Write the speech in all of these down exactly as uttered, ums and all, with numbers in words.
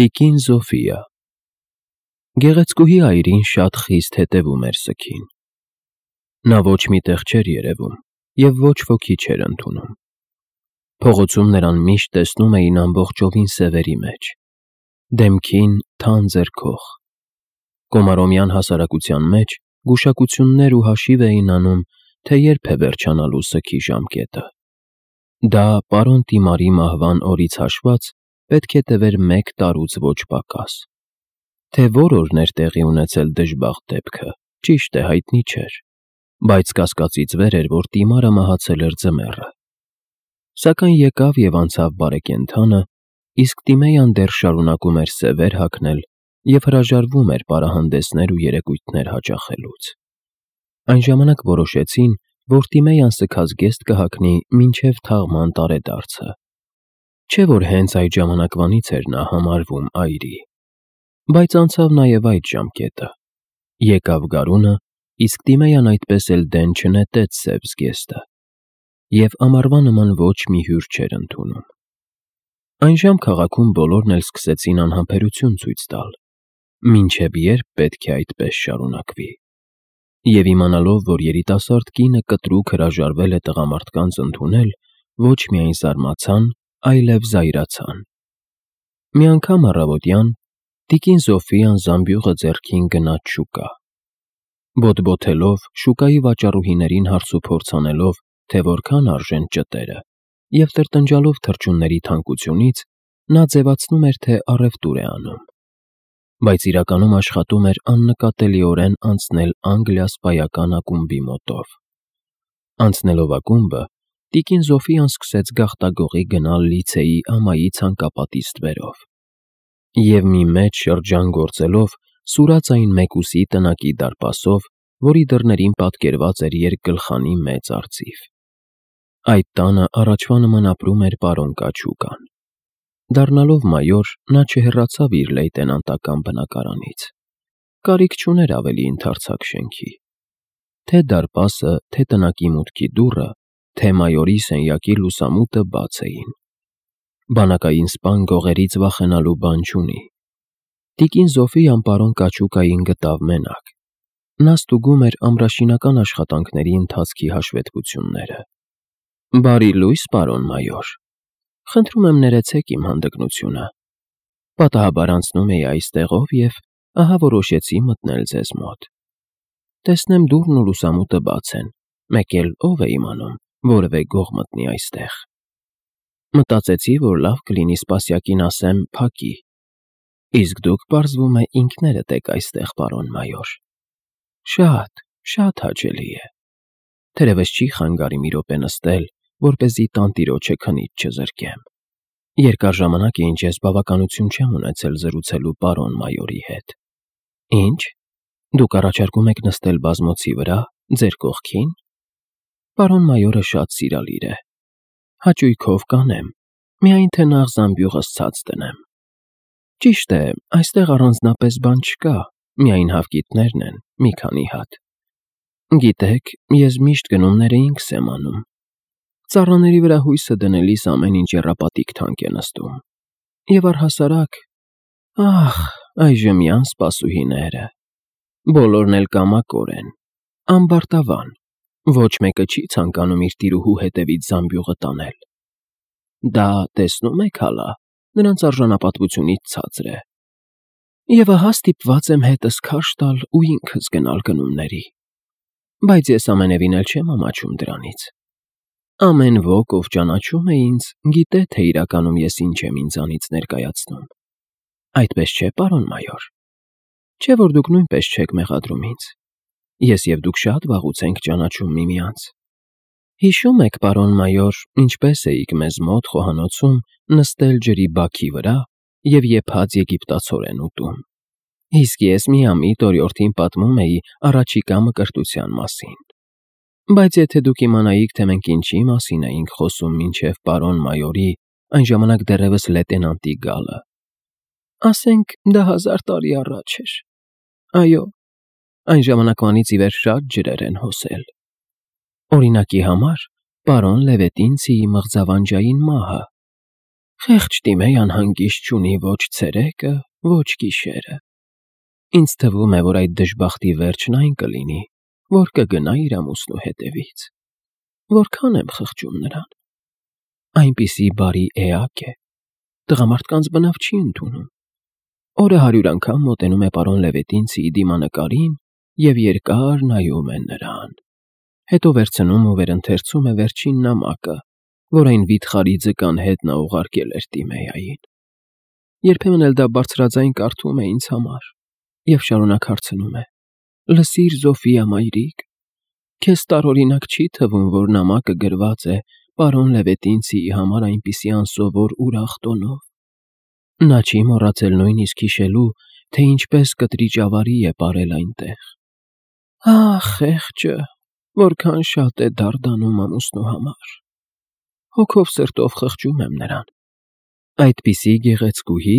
Տիկին Զոֆիա Գեղեցկուհի այրին շատ խիստ հետևում էր սգին։ Նա ոչ մի տեղ չէր երևում և ոչ ոքի չէր ընդունում։ Փողոցում նրան միշտ տեսնում էին ամբողջովին սևերի մեջ, դեմքին թանձր քող։ Կոմարոմյան հասարակության մեջ գուշակություններ ու հաշիվ էին անում, թե երբ է վերջանալու սգի ժամկետը։ Դա պարոն Տիմարի մահվան օրից հաշված պետք է տևեր մեկ տարուց ոչ պակաս։ Թե որ օրն էր տեղի ունեցել դժբախտ դեպքը, ճիշտ է, հայտնի չէր, բայց կասկածից վեր էր, որ Տիմարը մահացել էր ձմեռը։ Սակայն եկավ և անցավ բարեկենդանը, իսկ Տիմեյան դեռ շարունակում էր սևեր հագնել և հրաժարվում էր պարահանդեսներ ու երեկույթներ հաճախելուց։ Այն ժամանակ որոշեցին, որ Տիմեյան սգած գեստ կհագնի մինչև թաղման տարեդարձը։ Չէ՞ որ հենց այդ ժամանակվանից էր նա համարվում այրի։ Բայց անցավ նաև այդ ժամկետը։ Եկավ գարունը, իսկ Տիմեյան այդպես էլ դեն չնետեց սև զգեստը, և ամառվա նման ոչ մի հյուր չէր ընդունում։ Այնժամ քաղաքում բոլորն էլ սկսեցին անհամբերություն ցույց տալ, մինչև երբ պետք է այդպես շարունակվի։ Եվ իմանալով, որ երիտասարդ կինը կտրուկ հրաժարվել է տղամարդկանց ընդունել, ոչ միայն զարմացան, այլև զայրացան։ Մի անգամ առավոտյան տիկին Զոֆիան զամբյուղը ձեռքին գնաց շուկա։ Բոթբոթելով, շուկայի վաճառուհիներին հարցուփորձ անելով, թե որքան արժեն ճտերը, և տրտնջալով թռչունների թանկությունից, նա ձևացնում էր, թե առևտուր է անում, բայց իրականում աշխատում էր աննկատելիորեն անցնել անգլիա֊սպայական ակումբի մոտով։ Անցնելով ակումբը, տիկին Զոֆիան սկսեց գաղտագողի գնալ լիցեի ամայի ցանկապատի ստվերով և մի մեծ շրջան գործելով սուրաց այն մեկուսի տնակի դարպասով, որի դռներին պատկերված էր երկգլխանի մեծ արծիվ։ Այդ տանը առաջվա նման ապրում էր պարոն Կաչուկան։ Դառնալով մայոր, նա չհեռացավ իր լեյտենանտական բնակարանից։ Կարիք չուներ ավելի ընդարձակ շենքի։ Թե դարպասը, թե տնակի մուտքի դուռը, թե մայորի սենյակի լուսամուտը բաց էին։ Բանակային սպան գողերից վախենալու բան չունի։ Տիկին Զոֆիան պարոն Կաչուկային գտավ մենակ։ Նա ստուգում էր ամրաշինական աշխատանքների ընթացքի հաշվետվությունները։ Բարի լույս, պարոն մայոր։ Խնդրում եմ ներեցեք իմ հանդգնությունը։ Պատահաբար անցնում էի այստեղով և ահա որոշեցի մտնել ձեզ մոտ։ Տեսնեմ դուռն ու լուսամուտը բաց են, մեկ էլ ով է իմանում որևէ գող մտնի այստեղ։ Մտածեցի, որ լավ կլինի սպասյակին ասեմ փակի։ Իսկ դուք, պարզվում է, ինքներդ եք այստեղ, պարոն մայոր։ Շատ, շատ հաճելի է։ Թերևս չի խանգարիմ մի րոպե նստել, որպեսզի տանտիրոջը քնից չզրկեմ։ Երկար ժամանակ է, ինչ ես բավականություն չեմ ունեցել զրուցելու պարոն մայորի հետ։ Ինչ, դուք առաջարկում եք նստել բազմոցի վրա, ձեր կողքին։ Պարոն մայորը շատ սիրալիր է։ Հաճույքով կանեմ, միայն թե նախ զամբյուղս ցած դնեմ։ Ճիշտ է, այստեղ առանձնապես բան չկա, միայն հավկիթներն են, մի քանի հատ։ Գիտեք, ես միշտ գնումները ինքս եմ անում։ Ծառաների վրա հույսը դնելիս ամեն ինչ եռապատիկ թանկ է նստում։ Եվ առհասարակ, ախ, այժմյան սպասուհիները։ Բոլորն էլ կամակոր են, ամբարտավան, ոչ մեկը չի ցանկանում իր տիրուհու հետևից զամբյուղը տանել։ Դա, տեսնում եք հալա, նրանց արժանապատվությունից ցածր է։ Եվ ահա ստիպված եմ հետս քարշ տալ ու ինքս գնալ գնումների։ Բայց ես ամենևին էլ չեմ ամաչում դրանից։ Ամեն ոք, ով ճանաչում է ինձ, գիտե, թե իրականում ես ինչ եմ ինձանից ներկայացնում։ Այդպես չէ, պարոն մայոր։ Չէ՞ որ դուք նույնպես չեք մեղադրում ինձ։ Ես և դուք շատ վաղուց ենք ճանաչում միմյանց։ Հիշո՞ւմ եք, պարոն մայոր, ինչպես էիք մեզ մոտ խոհանոցում նստել ջրի բաքի վրա և եփած եգիպտացորեն ուտում։ Իսկ ես միամիտ օրիորդին պատմում էի առաջիկա մկրտության մասին։ Բայց եթե դուք իմանայիք, թե մենք ինչի մասին էինք խոսում մինչև պարոն մայորի, այն ժամանակ դեռևս լեյտենանտի գալը։ Ասենք դա հազար տարի առաջ էր։ Այո, այն ժամանակվանից ի վեր շատ ջրեր են հոսել։ Օրինակի համար, պարոն Լևետինցիի մղձավանջային մահը։ Խեղճ Տիմեյան հանգիստ չունի ոչ ցերեկը, ոչ գիշերը։ Ինձ թվում է, որ այդ դժբախտի վերջն այն կլինի, որ կգնա իր ամուսնու հետևից։ Որքան եմ խղճում նրան։ Այնպիսի բարի էակ է, տղամարդկանց բնավ չի ընդունում։ Օրը հարյուր անգամ մոտենում է պարոն Լևետինցիի դիմանկարին և երկար նայում է նրան։ Հետո վերցնում ու վերընթերցում է վերջին նամակը, որ այն վիթխարի ձկան հետ նա ուղարկել էր Տիմեյային։ Երբեմն էլ դա բարձրաձայն կարդում է ինձ համար և շարունակ հարցնում է. «Լսիր, Զոֆիա մայրիկ, քեզ տարօրինակ չի թվում, որ նամակը գրված է պարոն Լևետինցիի համար այնպիսի անսովոր ուրախ տոնով։ Նա չի մոռացել նույնիսկ հիշելու, թե ինչպես կտրիճ ավարի է պարել այնտեղ։ Ահ, խեղճը, որքան շատ է դարդանում ամուսնու համար։ Հոգով սրտով խղճում եմ նրան։ Այդպիսի գեղեցկուհի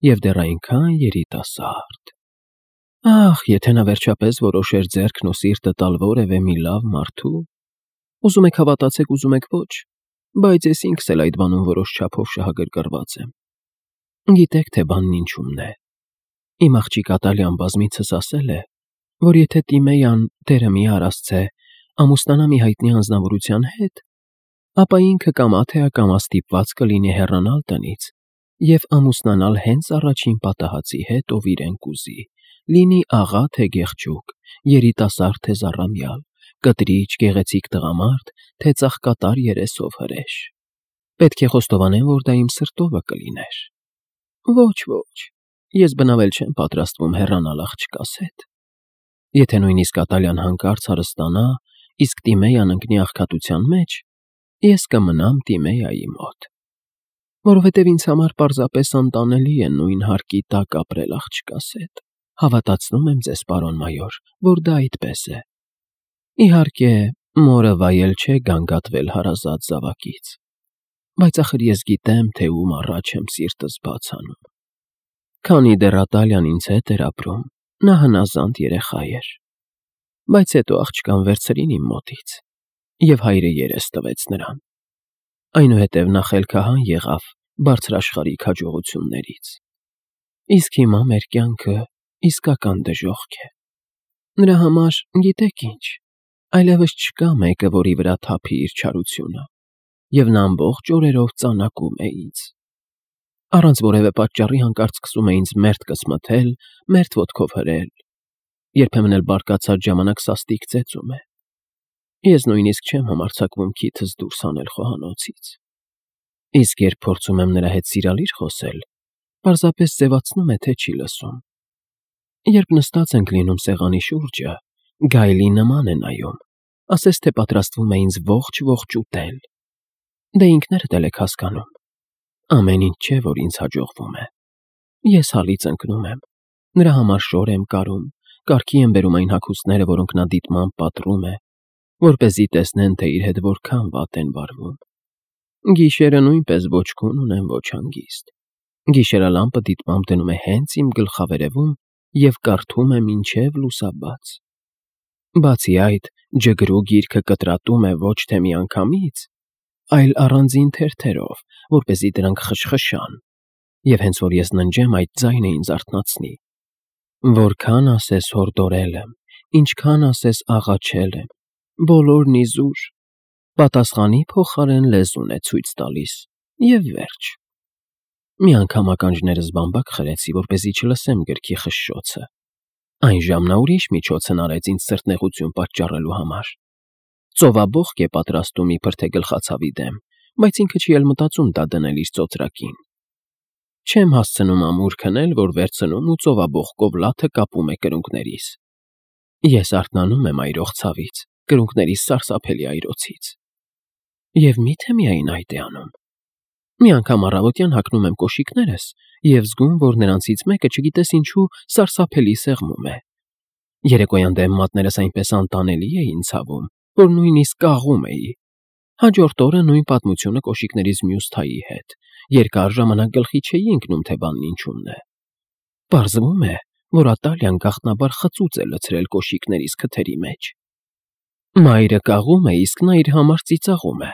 և դեռ այնքան երիտասարդ։ Ահ, եթե նա վերջապես որոշեր ձեռքն ու սիրտը տալ որևէ մի լավ մարդու։ Ուզում եք հավատացեք, ուզում եք ոչ, բայց ես ինքս էլ այդ բանում որոշ չափով շահագրգռված եմ։ Գիտեք, թե բանն ինչումն է։ Իմ աղջիկ Ատալյան բազմիցս ասել է, որ եթե Տիմեյան, Տերը մի արասցե, ամուսնանա մի հայտնի անձնավորության հետ, ապա ինքը կամա թե ակամա ստիպված կլինի հեռանալ տնից և ամուսնանալ հենց առաջին պատահածի հետ, ով իրեն կուզի, լինի աղա թե գեղջուկ, երիտասարդ թե զառամյալ, կտրիճ, գեղեցիկ տղամարդ, թե ծաղկատար երեսով հրեշ։ Պետք է խոստովանեմ, որ դա իմ սրտովը կլիներ։ Ոչ, ոչ, ես բնավ էլ չեմ պատրաստվում հեռանալ աղջկաս հետ։ Եթե նույնիսկ Ատալյան հանկարծ հարստանա, իսկ Տիմեյան ընկնի աղքատության մեջ, ես կմնամ Տիմեյայի մոտ, որովհետև ինձ համար պարզապես անտանելի է նույն հարկի տակ ապրել աղջկաս հետ։ Հավատացնում եմ ձեզ, պարոն մայոր, որ դա այդպես է։ Իհարկե, մորը վայել չէ գանգատվել հարազատ զավակից, բայց ախր ես գիտեմ, թե ում առաջ եմ սիրտս բաց անում։ Քանի դեռ Ատալյան ինձ հետ էր ապրում, նա հնազանդ երեխա էր, բայց հետո աղջկան վերցրին իմ մոտից, և հայրը երես տվեց նրան։ Այնուհետև նա խելքահան եղավ բարձրաշխարհիկ հաջողություններից։ Իսկ հիմա մեր կյանքը իսկական դժոխք է։ Նրա համար, գիտեք ինչ, այլևս չկա մեկը, որի վրա թափի իր չարությունը, և նա ամբողջ օրերով ծանակում է ինձ։ Առանց որևէ պատճառի հանկարծ սկսում է ինձ մերթ կսմթել, մերթ ոտքով հրել, երբեմն էլ բարկացած ժամանակ սաստիկ ծեծում է։ Ես նույնիսկ չեմ համարձակվում քիթս դուրս հանել խոհանոցից։ Իսկ երբ փորձում եմ նրա հետ սիրալիր խոսել, պարզապես ձևացնում է, թե չի լսում։ Երբ նստած ենք լինում սեղանի շուրջը, գայլի նման է նայում, ասես թե պատրաստվում է ինձ ողջ-ողջ ուտել։ Դե ինքներդ էլ եք հասկանում։ Ամեն ինչ չէ, որ ինձ հաջողվում է։ Ես հալից ընկնում եմ, նրա համար շոր եմ կարում, կարգի եմ բերում այն հագուստները, որոնք նա դիտմամբ պատռում է, որպեսզի տեսնեն, թե իր հետ որքան վատ են վարվում։ Գիշերը նույնպես ոչ քուն ունեմ, ոչ հանգիստ։ Գիշերալամպը դիտմամբ դնում է հենց իմ գլխավերևում և կարդում է մինչև լուսաբաց։ Բացի այդ, ջգրու գիրքը կտրատում է ոչ թե միանգամից, այլ առանձին թերթերով, որպեսզի դրանք խշխշան, և հենց որ ես ննջեմ, այդ ձայնը ինձ արթնացնի։ Որքան ասես հորդորել եմ, ինչքան ասես աղաչել եմ, բոլորն իզուր, պատասխանի փոխարեն լեզուն է ցույց տալիս, և վերջ։ Մի անգամ ականջներս բամբակ խրեցի, որպեսզի չլսեմ գրքի խշշոցը։ Այն ժամն ուրիշ միջոց հնարեց ինձ սրտնեղություն պատճառելու համար։ Ծովաբոխկ է պատրաստում իբր թե գլխացավի դեմ, բայց ինքը չի էլ մտածում դա դնել իր ծոծրակին։ Չեմ հասցնում ամուր քնել, որ վերցնում ու ծովաբոխկով լաթը կապում է կրունկներիս։ Ես արթնանում եմ այրող ցավից, կրունկներիս սարսափելի այրոցից։ Եվ մի՞թե միայն այդ է անում։ Մի անգամ առավոտյան հագնում եմ կոշիկներս և զգում, որ նրանցից մեկը չգիտես ինչու սարսափելի սեղմում է։ Երեկոյան դեմ մատներս այնպես անտանելի էին ցավում, որ նույնիսկ կաղում էի։ Հաջորդ օրը նույն պատմությունը կոշիկներից մյուս թայի հետ։ Երկար ժամանակ գլխի չէի ընկնում, թե բանն ինչումն է։ Պարզվում է, որ Ատալյան գաղտնաբար խծուծ է լցրել կոշիկներիս քթերի մեջ։ Մայրը կաղում է, իսկ նա իր համար ծիծաղում է։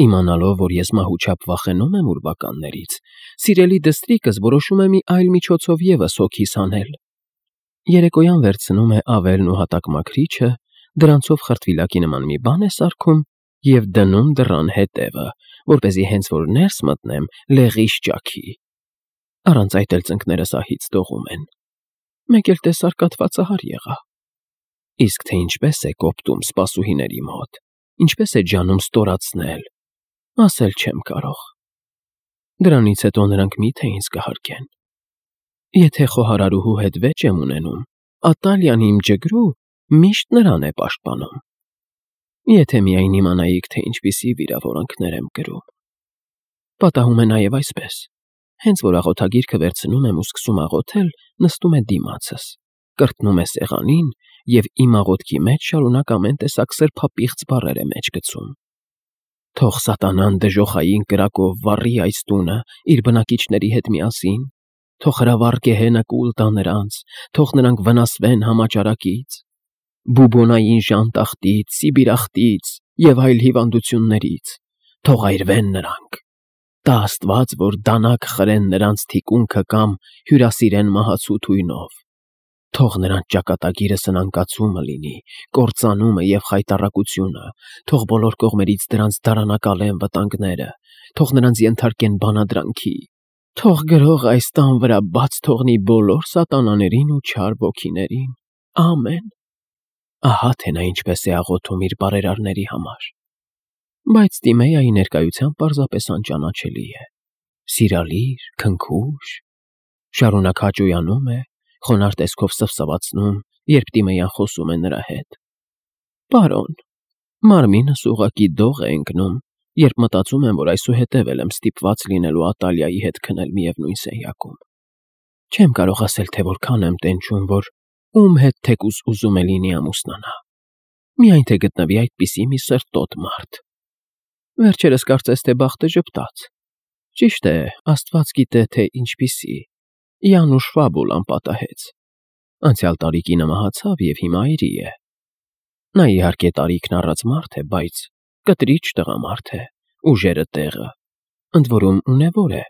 Իմանալով, որ ես մահուչափ վախենում եմ ուրվականներից, սիրելի դստրիկս որոշում է մի այլ միջոցով ևս հոգիս հանել։ Երեկոյան վերցնում է ավելն ու հատակմաքրիչը, դրանցով խրտվիլակի նման մի բան է սարքում և դնում դռան հետևը, որպեսզի հենց որ ներս մտնեմ, լեղիս ճաքի։ Առանց այդ էլ ծնկներս ահից դողում են։ Մեկ էլ տեսար կաթվածահար եղա։ Իսկ թե ինչպես է կոպտում սպասուհիների մոտ, ինչպես է ջանում ստորացնել, ասել չեմ կարող։ Դրանից հետո նրանք մի՞թե ինձ կհարգեն։ Եթե խոհարարուհու հետ վեճ եմ ունենում, Ատալիան իմ ջգրու միշտ նրան է պաշտպանում։ Եթե միայն իմանայիք, թե ինչպիսի վիրավորանքներ եմ կրում։ Պատահում է նաև այսպես. հենց որ աղոթագիրքը վերցնում եմ ու սկսում աղոթել, նստում է դիմացս, կրտնում է սեղանին և իմ աղոթքի մեջ շարունակ ամեն տեսակ սրբապիղծ բառեր է մեջ գցում։ Թող սատանան դժոխային կրակով վառի այս տունը իր բնակիչների հետ միասին, թող հրավառ գեհենը կուլ տա նրանց, թող նրանք վնասվեն համաճարակից, բուբոնային ժանտախտից, սիբիրախտից և այլ հիվանդություններից, թող այրվեն նրանք։ Տա Աստված, որ դանակ խրեն նրանց թիկունքը կամ հյուրասիրեն մահացու թույնով։ Թող նրանց ճակատագիրը սնանկացումը լինի, կործանումը և խայտառակությունը, թող բոլոր կողմերից դրանց դարանակալեն վտանգները, թող նրանց ենթարկեն բանադրանքի, թող գրող այս տան վրա բաց թողնի բոլոր սատանաներին ու չար ոգիներին։ Ամեն։ Ահա թե նա ինչպես է աղոթում իր բարերարների համար։ Բայց Տիմեայի ներկայությամբ պարզապես անճանաչելի է։ Սիրալիր, քնքուշ, շարունակ հաճոյանում է, խոնարհ տեսքով սվսվացնում, երբ Տիմեյան խոսում է նրա հետ։ Պարոն, մարմինս ուղղակի դող է ընկնում, երբ մտածում եմ, որ այսուհետև էլ եմ ստիպված լինելու Ատալիայի հետ քնել միևնույն սենյակում։ Չեմ կարող ասել, թե որքան եմ տենչում, որ ում հետ թեկուզ ուզում է լինի ամուսնանա։ Միայն թե գտնվի այդպիսի մի սրտոտ մարդ։ Վերջերս կարծես թե բախտը ժպտաց։ Ճիշտ է, Աստված գիտե, թե ինչպիսի։ Յանուշ Ֆաբուլան պատահեց։ Անցյալ տարի կինը մահացավ և հիմա այրի է։ Նա իհարկե տարիքն առած մարդ է, բայց կտրիչ տղամարդ է, ուժերը տեղը, ընդ որում ունևոր է,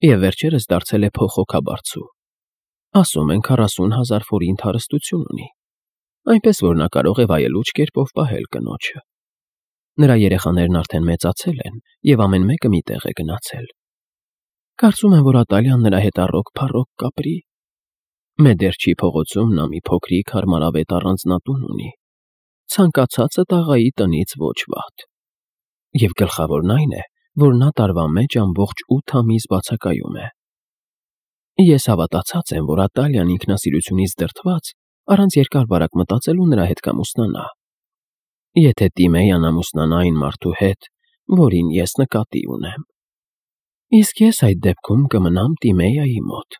և վերջերս դարձել է փոխհոգաբարձու։ Ասում են քառասուն հազար ֆորինտ հարստություն ունի, այնպես որ նա կարող է վայելուչ կերպով պահել կնոջը։ Նրա երեխաներն արդեն մեծացել են և ամեն մեկը մի տեղ է գնացել։ Կարծում եմ, որ Ատալիան նրա հետ առօգ-փառոգ կապրի։ Մեդերչի փողոցում նա մի փոքրիկ հարմարավետ առանձնատուն ունի։ Ցանկացածը տաղայի տնից ոչ վատ։ Եվ գլխավորն այն է, որ նա տարվա մեջ ամբողջ ութ ամիս բացակայում է։ Ես հավատացած եմ, որ Ատալիան ինքնասիրությունից դրդված առանց երկար-բարակ մտածելու նրա հետ կամուսնանա։ Եթե Տիմեյան ամուսնանա այն մարդու հետ, որին ես նկատի ունեմ։ Իսկ ես այդ դեպքում կմնամ Տիմեյայի մոտ,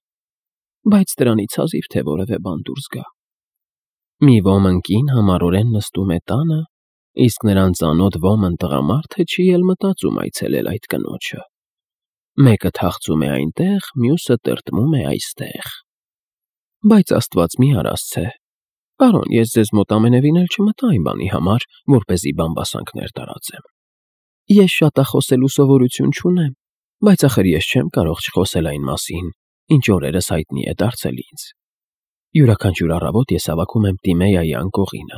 բայց դրանից հազիվ թե որևէ բան դուրս գա։ Մի ոմն կին համառորեն նստում է տանը, իսկ նրան ծանոթ ոմն տղամարդը չի էլ մտածում այցելել այդ կնոջը։ Մեկը թախծում է այնտեղ, մյուսը տրտմում է այստեղ։ Բայց Աստված մի արասցե։ Պարոն, ես ձեզ մոտ ամենևին էլ չմտա այն բանի համար, որպեսզի բամբասանքներ տարածեմ։ Ես շատախոսելու սովորություն չունեմ, բայց ախր ես չեմ կարող չխոսել այն մասին, ինչ օրերս հայտնի է դարձել ինձ։ Յուրաքանչյուր առավոտ ես հավաքում եմ Տիմեյայի անկողինը։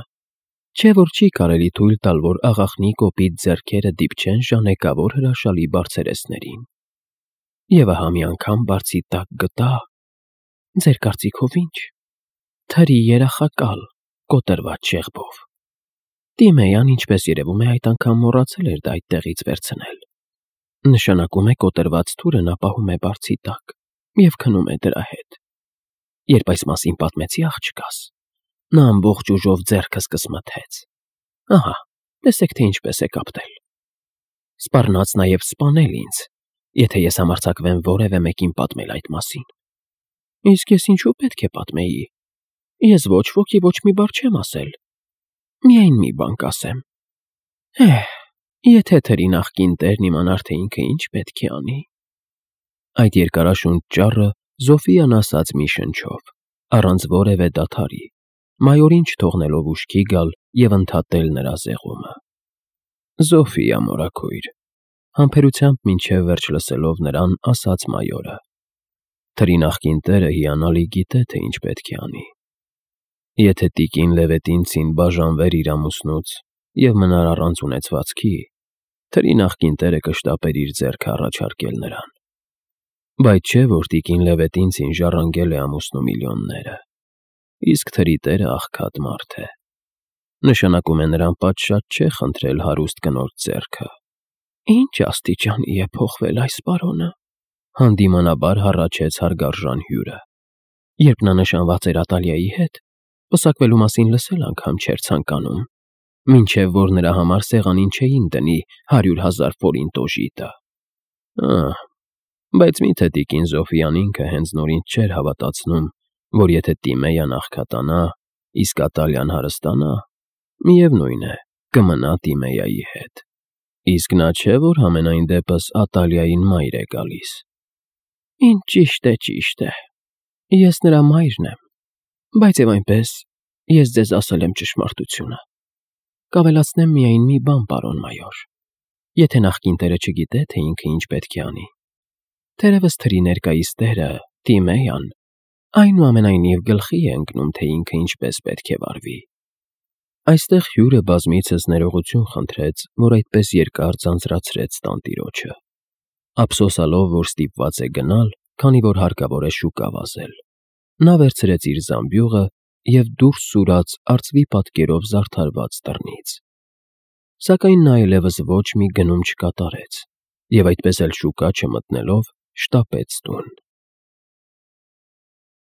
Չէ՞ որ չի կարելի թույլ տալ, որ աղախնի կոպիտ ձեռքերը դիպչեն ժանեկավոր հրաշալի բարձերեսներին։ Եվ ահա մի անգամ բարձի տակ գտա… Ձեր կարծիքով ի՞նչ։ Թրի երախակալ, կոտրված շեղբով։ Տիմեյան, ինչպես երևում է, այդ անգամ մոռացել էր դա այդտեղից վերցնել։ Նշանակում է կոտրված թուրը նա պահում է բարձի տակ և քնում է դրա հետ։ Երբ այս մասին պատմեցի աղջկաս, նա ամբողջ ուժով ձեռքս կսմթեց։ Ահա, տեսեք, թե ինչպես է կապտել։ Սպառնաց նաև սպանել ինձ, եթե ես համարձակվեմ որևէ մեկին պատմել այդ մասին։ Իսկ ես ինչու պետք է պատմեի։ Ես ոչ ոքի ոչ մի բառ չեմ ասել։ Միայն մի բան կասեմ։ Հե՛հ, եթե թրի նախկին տերն իմանար, թե ինքը ինչ պետք է անի… Այդ երկարաշունչ ճառը Զոֆիան ասաց մի շնչով, առանց որևէ դադարի, մայորին չթողնելով ուշքի գալ և ընդհատել նրա զեղումը։ Զոֆիա մորաքույր, Համբերությամբ մինչև վերջ լսելով նրան, ասաց մայորը. Թրի նախկին տերը հիանալի գիտե, թե ինչ պետք է անի։ Եթե տիկին Լևետինցին բաժանվեր իր ամուսնուց և մնար առանց ունեցվածքի, թրի նախկին տերը կշտապեր իր ձեռքը առաջարկել նրան։ Բայց չէ, որ տիկին Լևետինցին ժառանգել է ամուսնու միլիոնները, իսկ թրի տերը աղքատ մարդ է։ Նշանակում է նրան պատշաճ չէ խնդրել հարուստ կնոջ ձեռքը։ Ինչ աստիճանի է փոխվել այս պարոնը, հանդիմանաբար հառաչեց հարգարժան հյուրը։ Երբ նա նշանված էր Ատալիայի հետ, պսակվելու մասին լսել անգամ չէր ցանկանում, մինչև որ նրա համար սեղանին չէին դնի հարյուր հազար ֆորինտ օժիտը։ Ահ, բայց մի՞թե տիկին Զոֆիան ինքը հենց նոր ինձ չէր հավատացնում, որ եթե Տիմեյան աղքատանա, իսկ Ատալիան հարստանա, միևնույն է, կմնա Տիմեյայի հետ։ Իսկ նա չէ, որ համենայն դեպս Ատալիային մայր է գալիս։ Ինչ ճիշտ է, ճիշտ է, ես նրա մայրն եմ, բայց և այնպես ես ձեզ ասել եմ ճշմարտությունը։ Կավելացնեմ միայն մի բան, պարոն մայոր, եթե նախկին տերը չգիտե, թե ինքը ինչ պետք է անի։ Թերևս թրի ներկայիս տերը, Տիմեյան, այնուամենայնիվ գլխի է ընկնում, թե ինքը ինչպես պետք է վարվի։ Այստեղ հյուրը բազմիցս ներողություն խնդրեց, որ այդպես երկար ձանձրացրեց տանտիրոջը, ափսոսալով, որ ստիպված է գնալ, քանի որ հարկավոր է շուկա վազել։ Նա վերցրեց իր զամբյուղը և դուրս սուրաց արծվի պատկերով զարդարված դռնից։ Սակայն նա այլևս ոչ մի գնում չկատարեց և այդպես էլ շուկա չմտնելով շտապեց տուն։